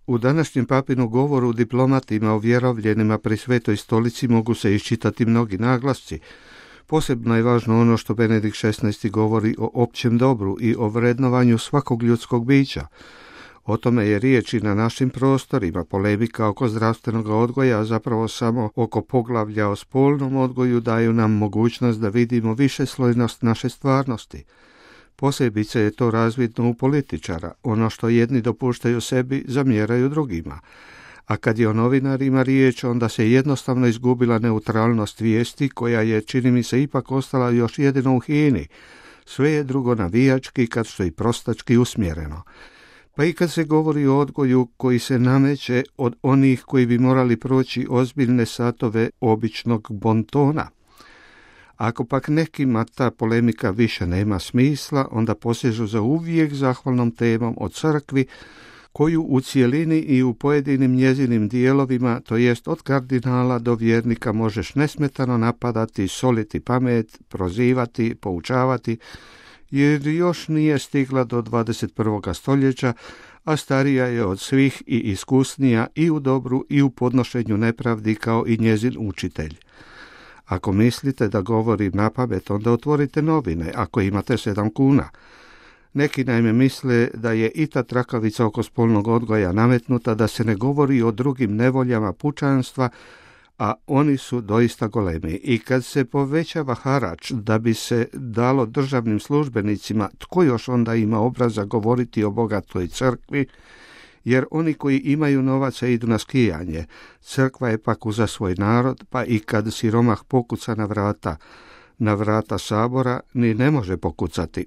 U današnjem papinu govoru diplomatima ovjerovljenima pri Svetoj stolici mogu se iščitati mnogi naglasci. Posebno je važno ono što Benedikt XVI govori o općem dobru i o vrednovanju svakog ljudskog bića. O tome je riječ i na našim prostorima. Polemika oko zdravstvenog odgoja, a zapravo samo oko poglavlja o spolnom odgoju, daju nam mogućnost da vidimo višeslojnost naše stvarnosti. Posebice je to razvidno u političara. Ono što jedni dopuštaju sebi, zamjeraju drugima. A kad je o novinarima riječ, onda se jednostavno izgubila neutralnost vijesti, koja je, čini mi se, ipak ostala još jedino u hini. Sve je drugo navijački, kad što i prostački usmjereno. Pa i kad se govori o odgoju koji se nameće od onih koji bi morali proći ozbiljne satove običnog bontona. Ako pak nekima ta polemika više nema smisla, onda posežu za uvijek zahvalnom temom o crkvi, koju u cijelini i u pojedinim njezinim dijelovima, to jest od kardinala do vjernika, možeš nesmetano napadati, soliti pamet, prozivati, poučavati, jer još nije stigla do 21. stoljeća, a starija je od svih i iskusnija i u dobru i u podnošenju nepravdi kao i njezin učitelj. Ako mislite da govorim napamet, onda otvorite novine, ako imate 7 kuna. Neki naime misle da je i ta trakavica oko spolnog odgoja nametnuta, da se ne govori o drugim nevoljama pučanstva, a oni su doista golemi. I kad se povećava harač da bi se dalo državnim službenicima, tko još onda ima obraza govoriti o bogatoj crkvi, jer oni koji imaju novaca idu na skijanje. Crkva je pak uza svoj narod, pa i kad siromah pokuca na vrata sabora, ni ne može pokucati.